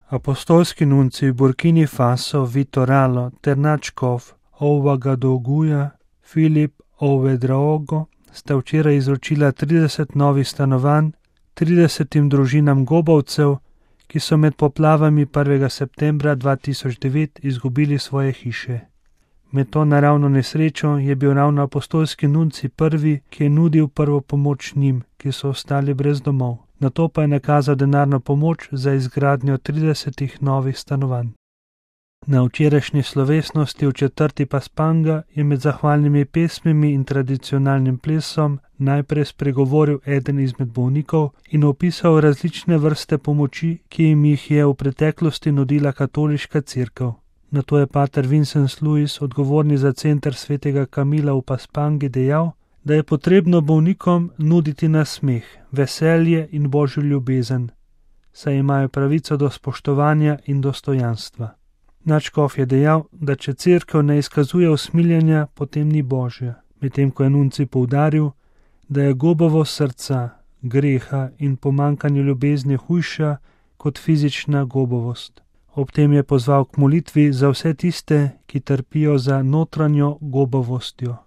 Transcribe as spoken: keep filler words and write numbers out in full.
Apostolski nuncij v Burkini Faso Vito Ralo ter nadškof Ouagadougouja Filip Ouedraogo sta včeraj izročila trideset novih stanovanj tridesetim družinam gobovcev, ki so med poplavami prvega septembra dva tisoč devet izgubili svoje hiše. Med to naravno nesrečo je bil ravno apostolski nuncij prvi, ki je nudil prvo pomoč njim, ki so ostali brez domov. Nato pa je nakazal denarno pomoč za izgradnjo tridesetih novih stanovanj. Na včerajšnji slovesnosti v četrti Paspanga je med zahvalnimi pesmimi in tradicionalnim plesom najprej spregovoril eden izmed bolnikov in opisal različne vrste pomoči, ki jim jih je v preteklosti nudila katoliška cerkev. Nato je pater Vincent Louis, odgovorni za center svetega Kamila v Paspangi, dejal, da je potrebno bolnikom nuditi nasmeh, veselje in božjo ljubezen, saj imajo pravico do spoštovanja in dostojanstva. Nadškof je dejal, da če cerkev ne izkazuje usmiljenja, potem ni božja, medtem ko je nuncij poudaril, da je gobovost srca, greha in pomanjkanje ljubezni hujša kot fizična gobovost. Ob tem je pozval k molitvi za vse tiste, ki trpijo za notranjo gobovostjo.